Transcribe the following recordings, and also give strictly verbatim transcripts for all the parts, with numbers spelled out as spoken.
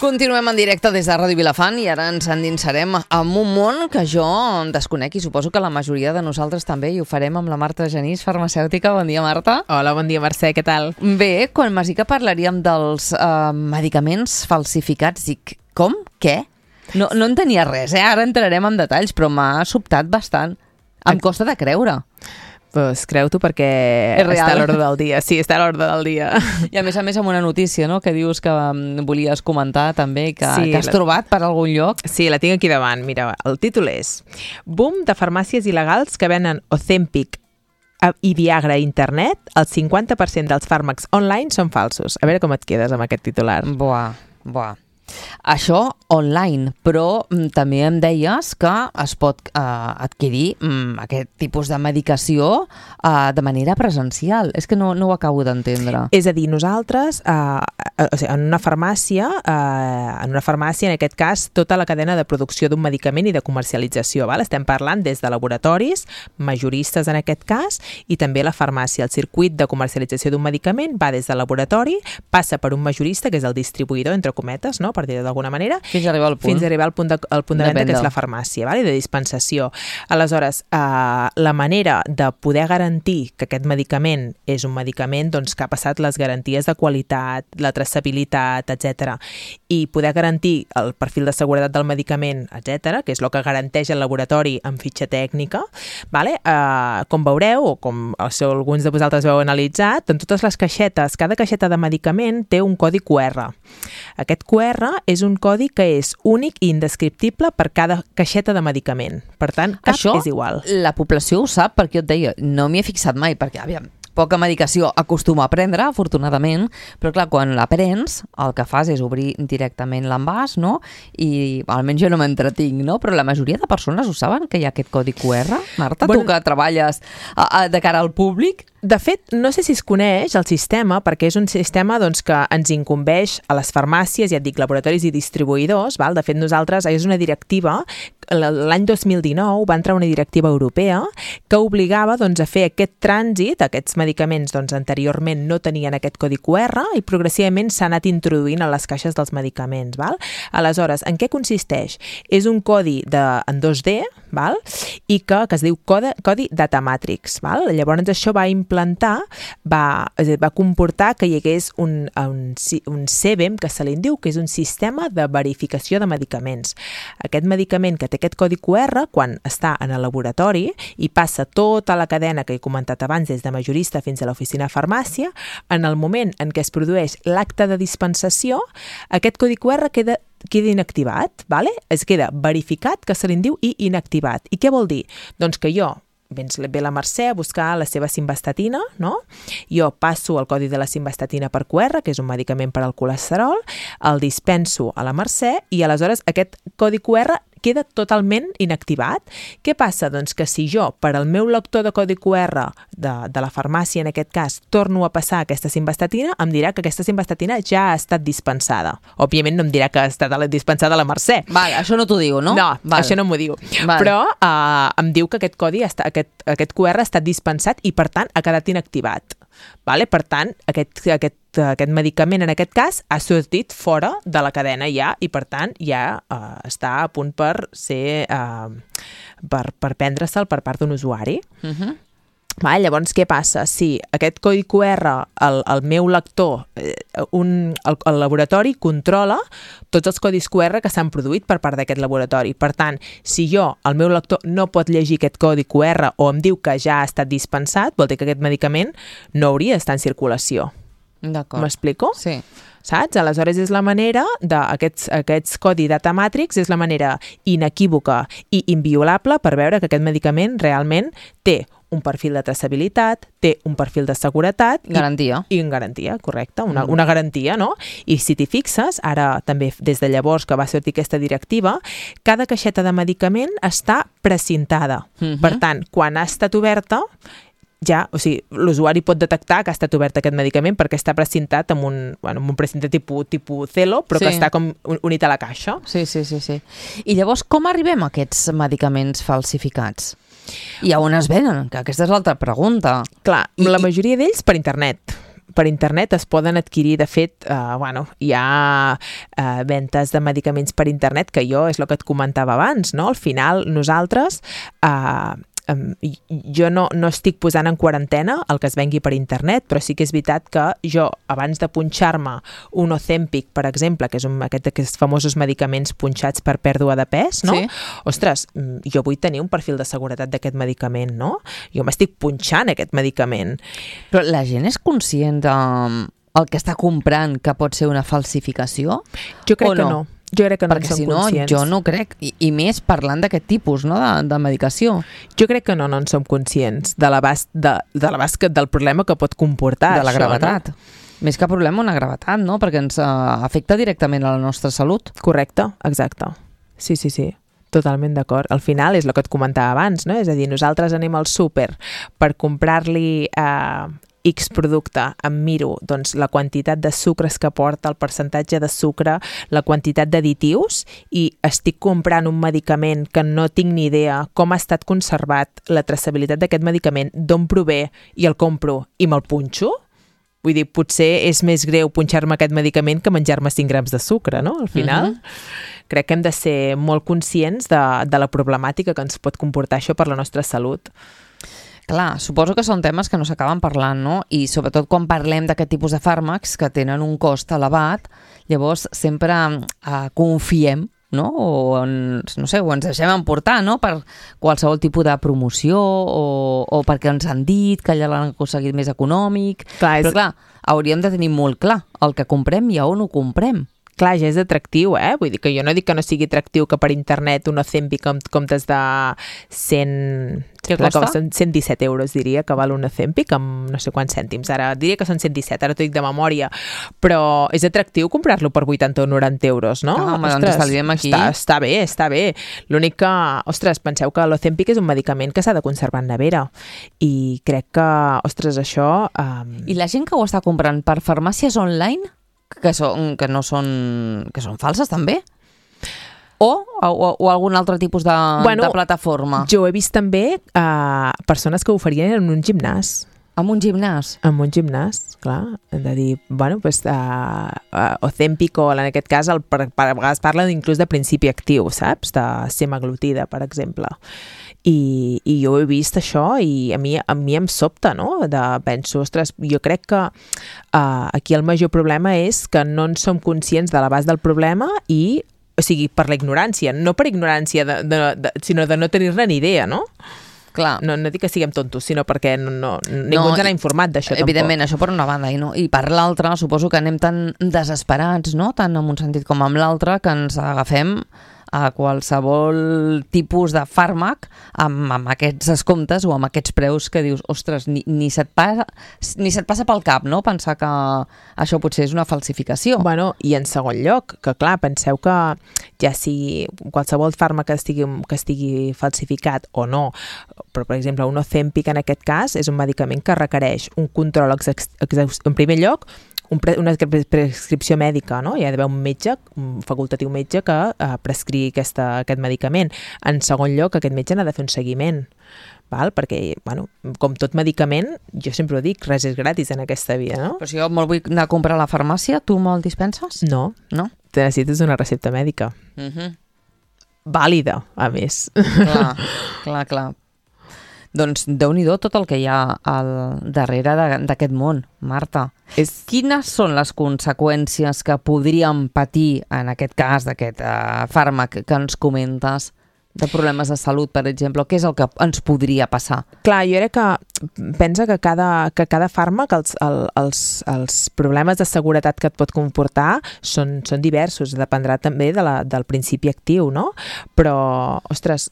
Continuem en directe des de Ràdio Vilafant i ara ens endinsarem en un món que jo desconec i suposo que la majoria de nosaltres també, i ho farem amb la Marta Genís, farmacèutica. Bon dia, Marta. Hola, bon dia, Mercè, què tal? Bé, quan m'has dit que parlaríem dels eh, medicaments falsificats, dic, com? Què? No, no en tenia res, eh? Ara entrarem en detalls, però m'ha sobtat bastant. Em costa de creure. Pues creu-t'ho perquè està a l'ordre del dia. Sí, està a l'ordre del dia. I a més a més amb una notícia, no?, que dius que um, volies comentar també, que, sí, que has la... trobat per algun lloc. Sí, la tinc aquí davant. Mira, el títol és Boom de farmàcies il·legals que venen Ozempic i Viagra a internet. El cinquanta per cent dels fàrmacs online són falsos. A veure com et quedes amb aquest titular. Buah, buah. Això online, però mm, també em deies que es pot eh, adquirir mm, aquest tipus de medicació eh, de manera presencial. És que no, no ho acabo d'entendre. És a dir, nosaltres, eh, eh, o sigui, en una farmàcia, eh, en una farmàcia, en aquest cas, tota la cadena de producció d'un medicament i de comercialització, val? Estem parlant des de laboratoris, majoristes en aquest cas, i també la farmàcia. El circuit de comercialització d'un medicament va des del laboratori, passa per un majorista, que és el distribuïdor, entre cometes, no?, per dir d'alguna manera, fins a arribar al punt, fins a arribar al punt de, al punt de, de venda, que és la farmàcia, vale? De dispensació. Aleshores, eh, la manera de poder garantir que aquest medicament és un medicament doncs, que ha passat les garanties de qualitat, la traçabilitat, etcètera, i poder garantir el perfil de seguretat del medicament, etcètera, que és el que garanteix el laboratori amb fitxa tècnica, vale? eh, com veureu, o com si alguns de vosaltres veu analitzat, en totes les caixetes, cada caixeta de medicament té un codi Q R. Aquest Q R és un codi que és únic i indescriptible per cada caixeta de medicament. Per tant, cap això, és igual. La població ho sap, perquè jo et deia, no m'hi he fixat mai, perquè, aviam, poca medicació acostuma a prendre, afortunadament, però clar, quan la prens, el que fas és obrir directament l'envàs, no? I almenys jo no m'entretinc, no? Però la majoria de persones ho saben, que hi ha aquest codi Q R? Marta, bueno, tu que treballes a, a, de cara al públic? De fet, no sé si es coneix el sistema, perquè és un sistema doncs, que ens incumbeix a les farmàcies, ja et dic, laboratoris i distribuïdors. Val? De fet, nosaltres, és una directiva, l'any dos mil dinou va entrar una directiva europea que obligava doncs, a fer aquest trànsit, aquests medicaments doncs, anteriorment no tenien aquest codi Q R i progressivament s'ha anat introduint a les caixes dels medicaments. Val? Aleshores, en què consisteix? És un codi de, en dos D, val? I que, que es diu codi, codi Data Matrix. Val? Llavors, això va implantar Va, va comportar que hi hagués un, un, un C B E M, que se li diu, que és un sistema de verificació de medicaments. Aquest medicament que té aquest codi Q R, quan està en el laboratori i passa tota la cadena que he comentat abans, des de majorista fins a l'oficina de farmàcia, en el moment en què es produeix l'acte de dispensació, aquest codi Q R queda queda inactivat, vale? Es queda verificat, que se li diu, i inactivat. I què vol dir? Doncs que jo Vens, ve la Mercè a buscar la seva simvastatina, no? Jo passo el codi de la simvastatina per Q R, que és un medicament per al colesterol, el dispenso a la Mercè i aleshores aquest codi Q R queda totalment inactivat. Què passa? Doncs que si jo, per al meu lector de codi Q R de, de la farmàcia, en aquest cas, torno a passar aquesta simvastatina, em dirà que aquesta simvastatina ja ha estat dispensada. Òbviament no em dirà que ha estat dispensada a la Mercè. Vale, això no t'ho diu, no? No, vale. Això no m'ho diu. Vale. Però eh, em diu que aquest codi, està, aquest, aquest Q R ha estat dispensat i, per tant, ha quedat inactivat. Vale? Per tant, aquest, aquest, aquest medicament, en aquest cas, ha sortit fora de la cadena ja i, per tant, ja eh, està a punt per ser eh, per, per prendre-se'l per part d'un usuari. Uh-huh. Vale, llavors, què passa? Si aquest codi Q R, el, el meu lector, un, el, el laboratori controla tots els codis Q R que s'han produït per part d'aquest laboratori. Per tant, si jo, el meu lector, no pot llegir aquest codi Q R o em diu que ja ha estat dispensat, vol dir que aquest medicament no hauria d'estar en circulació. D'acord. M'explico? Sí. Saps? Aleshores és la manera d'aquests aquests codi Data Matrix, és la manera inequívoca i inviolable per veure que aquest medicament realment té un perfil de traçabilitat, té un perfil de seguretat... Garantia. I, i en garantia, correcte, una, una garantia, no? I si t'hi fixes, ara també des de llavors que va sortir aquesta directiva, cada caixeta de medicament està precintada. Uh-huh. Per tant, quan ha estat oberta, ja, o sigui, l'usuari pot detectar que ha estat obert aquest medicament perquè està precintat amb un, bueno, amb un precinte tipus, tipus Celo, però sí, que està com unit a la caixa. Sí, sí, sí, sí. I llavors, com arribem a aquests medicaments falsificats? I a on es venen? Que aquesta és l'altra pregunta. Clar, I, la majoria d'ells per internet. per internet es poden adquirir, de fet, eh, bueno, hi ha eh, ventes de medicaments per internet, que jo és el que et comentava abans, no? Al final, nosaltres... Eh, Um, jo no, no estic posant en quarantena el que es vengui per internet, però sí que és veritat que jo, abans de punxar-me un Ozempic, per exemple, que és un, aquest, aquests famosos medicaments punxats per pèrdua de pes, no? Sí. Ostres, jo vull tenir un perfil de seguretat d'aquest medicament, no? Jo m'estic punxant aquest medicament. Però la gent és conscient de el que està comprant que pot ser una falsificació? Jo crec o que no. no. Jo crec que no Perquè en som si no, conscients. jo no crec, i, i més parlant d'aquest tipus, no?, de, de medicació. Jo crec que no, no en som conscients de l'abast de, de l'abast del problema que pot comportar de la això, gravetat. No? Més que problema, una gravetat, no?, perquè ens uh, afecta directament a la nostra salut. Correcte, exacte. Sí, sí, sí. Totalment d'acord. Al final és el que et comentava abans, no? És a dir, nosaltres anem al súper per comprar-li eh, X producte, em miro doncs, la quantitat de sucres que porta, el percentatge de sucre, la quantitat d'additius, i estic comprant un medicament que no tinc ni idea com ha estat conservat, la traçabilitat d'aquest medicament, d'on prové, i el compro i me'l punxo. Vull dir, potser és més greu punxar-me aquest medicament que menjar-me cinc grams de sucre, no? Al final, uh-huh. crec que hem de ser molt conscients de, de la problemàtica que ens pot comportar això per la nostra salut. Clar, suposo que són temes que no s'acaben parlant, no? I sobretot quan parlem d'aquest tipus de fàrmacs que tenen un cost elevat, llavors sempre eh, confiem, no? O, ens, no sé, o ens deixem emportar, no?, per qualsevol tipus de promoció o, o perquè ens han dit que allà l'han aconseguit més econòmic. Clar, és... Però clar, hauríem de tenir molt clar el que comprem i a on ho comprem. Clar, ja és atractiu, eh? Vull dir que jo no dic que no sigui atractiu que per internet un Ozempic en comptes de cent... Què costa? cent disset euros, diria, que val un Ozempic amb no sé quants cèntims. Ara diria que són cent disset, ara t'ho dic de memòria. Però és atractiu comprar-lo per vuitanta o noranta euros, no? Ah, home, doncs estalviem aquí. Està, està bé, està bé. L'únic que, ostres, penseu que l'Ozempic és un medicament que s'ha de conservar en nevera. I crec que, ostres, això... Um... I la gent que ho està comprant per farmàcies online, que, són, que no són... que són falses, també? O, o, o algun altre tipus de, bueno, de plataforma? Jo he vist també uh, persones que ho oferien en un gimnàs. En un gimnàs? En un gimnàs, clar. Hem de dir, bueno, pues, uh, uh, Ozempic, o en aquest cas, el, per, per, a vegades parlen inclús de principi actiu, saps? De semaglutida, per exemple. I, i jo he vist això i a mi, a mi em sobta, no? De, penso, ostres, jo crec que uh, aquí el major problema és que no en som conscients de l'abast del problema i, o sigui, per la ignorància, no per ignorància, de, de, de, sinó de no tenir-ne ni idea, no? Clar. No, no dic que siguem tontos, sinó perquè no, no, ningú no, ens n'ha informat d'això tampoc. Evidentment, això per una banda, i, no? I per l'altra, suposo que anem tan desesperats, no?, tant en un sentit com en l'altre, que ens agafem a qualsevol tipus de fàrmac amb, amb aquests descomptes o amb aquests preus que dius, ostres, ni, ni, se't passa, ni se't passa pel cap, no?, pensar que això potser és una falsificació. Bueno, i en segon lloc, que clar, penseu que ja si qualsevol fàrmac que estigui, que estigui falsificat o no, però per exemple un Ozempic en aquest cas és un medicament que requereix un control exhaustiu, en primer lloc, Un pre, una prescripció mèdica, no? Hi ha d'haver un metge, un facultatiu metge que eh, prescrigui aquesta, aquest medicament. En segon lloc, aquest metge n'ha de fer un seguiment, val? Perquè, bueno, com tot medicament, jo sempre ho dic, res és gratis en aquesta vida, no? Però si jo me'l vull anar a comprar a la farmàcia, tu me'l dispenses? No, no? Te necessites una recepta mèdica. Uh-huh. Vàlida, a més. Clar, clar, clar. Doncs déu-n'hi-do tot el que hi ha al darrere d'aquest món, Marta. És... Quines són les conseqüències que podríem patir en aquest cas d'aquest uh, fàrmac que ens comentes, de problemes de salut, per exemple? Què és el que ens podria passar? Clar, jo crec que pensa que cada, que cada fàrmac, els, el, els, els problemes de seguretat que et pot comportar són, són diversos, dependrà també de la, del principi actiu, no? Però, ostres,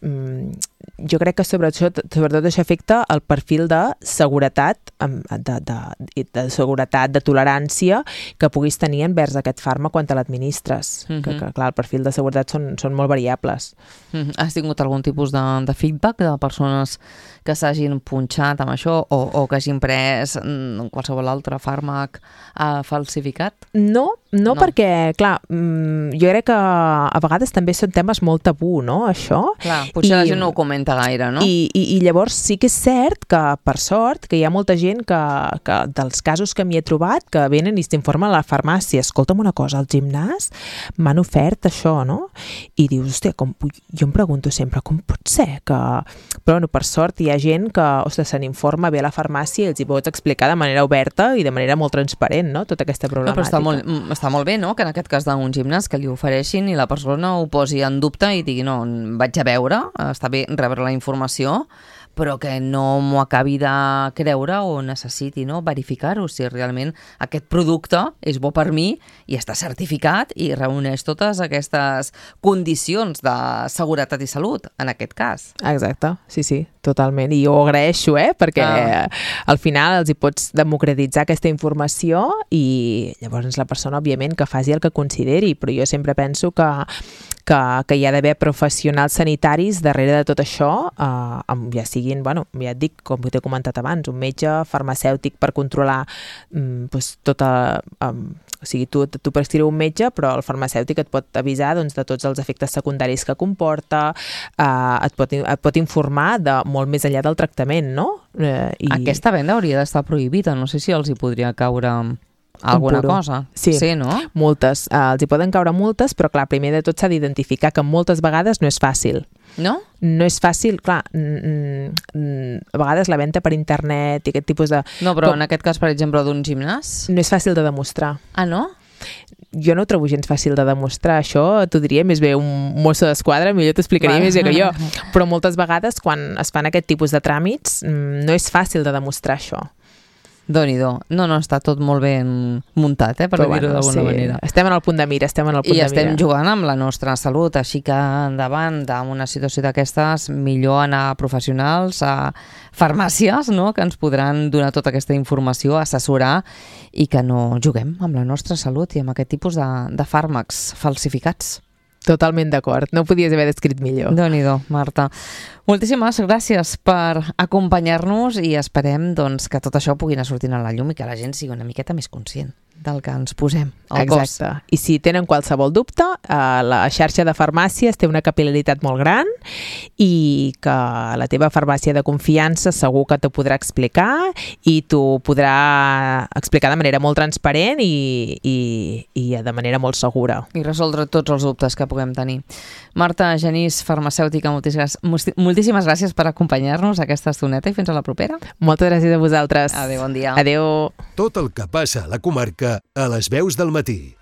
jo crec que sobretot, sobretot això afecta el perfil de seguretat, de, de, de seguretat, de tolerància que puguis tenir envers aquest fàrmac quan te l'administres. Mm-hmm. que, que, clar, el perfil de seguretat són, són molt variables. Mm-hmm. Has tingut algun tipus de, de feedback de persones que s'hagin punxat amb això això, o, o que hagin pres mm, qualsevol altre fàrmac uh, falsificat? No, no, No. perquè, clar, mm, jo crec que a vegades també són temes molt tabú, no?, això. Clar, potser I, la gent no ho comenta gaire, no? I, i, I llavors sí que és cert que, per sort, que hi ha molta gent que, que dels casos que m'hi he trobat, que venen i s'informen a la farmàcia. Escolta'm una cosa, al gimnàs m'han ofert això, no? I dius, hòstia, com, jo em pregunto sempre, com pot ser que... Però, bueno, per sort hi ha gent que, ostres, se n'informa bé a la farmàcia i els hi pots explicar de manera oberta i de manera molt transparent, no?, tota aquesta No, problemàtica. però està molt, està molt bé, no?, que en aquest cas d'un gimnàs que li ofereixin i la persona ho posi en dubte i digui, no, vaig a veure, està bé rebre la informació, però que no m'ho acabi de creure o necessiti, no?, verificar-ho, si realment aquest producte és bo per mi i està certificat i reuneix totes aquestes condicions de seguretat i salut, en aquest cas. Exacte, sí, sí, totalment. I jo ho agraeixo, eh?, perquè ah. al final els hi pots democratitzar aquesta informació i llavors la persona, òbviament, que faci el que consideri, però jo sempre penso que que, que hi ha d'haver professionals sanitaris darrere de tot això, eh, amb, ja siguin, bueno, ja et dic, com t'he comentat abans, un metge farmacèutic per controlar mm, doncs, tota... Um, o sigui, tu, tu pots escriure un metge, però el farmacèutic et pot avisar doncs, de tots els efectes secundaris que comporta, eh, et, pot, et pot informar de molt més enllà del tractament, no? Eh, i... Aquesta venda hauria d'estar prohibida, no sé si els hi podria caure alguna cosa. Sí, sí, no? Multes. Uh, els hi poden caure multes, però clar, primer de tot s'ha d'identificar que moltes vegades no és fàcil. No? No és fàcil, clar, mm, mm, a vegades la venda per internet i aquest tipus de... No, però com... en aquest cas, per exemple, d'un gimnàs? No és fàcil de demostrar. Ah, no? Jo no ho trobo gens fàcil de demostrar, això t'ho diria més bé un mosso d'esquadra, millor t'explicaria Va. més bé que jo, però moltes vegades quan es fan aquest tipus de tràmits no és fàcil de demostrar això. Déu-n'hi-do. No, no, està tot molt ben muntat, eh, per dir-ho bueno, d'alguna sí. manera. Estem en el punt de mira, estem en el punt I de estem mira. jugant amb la nostra salut, així que davant d'una situació d'aquestes, millor anar a professionals, a farmàcies, no?, que ens podran donar tota aquesta informació, assessorar, i que no juguem amb la nostra salut i amb aquest tipus de, de fàrmacs falsificats. Totalment d'acord, no ho podies haver descrit millor. Déu-n'hi-do, Marta. Moltíssimes gràcies per acompanyar-nos i esperem doncs, que tot això pugui anar sortint a la llum i que la gent sigui una miqueta més conscient del que ens posem al cos. Exacte. I si tenen qualsevol dubte, eh, la xarxa de farmàcies té una capil·laritat molt gran i que la teva farmàcia de confiança segur que t'ho podrà explicar i t'ho podrà explicar de manera molt transparent i, i, i de manera molt segura. I resoldre tots els dubtes que puguem tenir. Marta Genís, farmacèutica, moltíssimes, moltíssimes gràcies per acompanyar-nos aquesta estoneta i fins a la propera. Moltes gràcies a vosaltres. Adéu, bon dia. Adéu. Tot el que passa a la comarca a les veus del matí.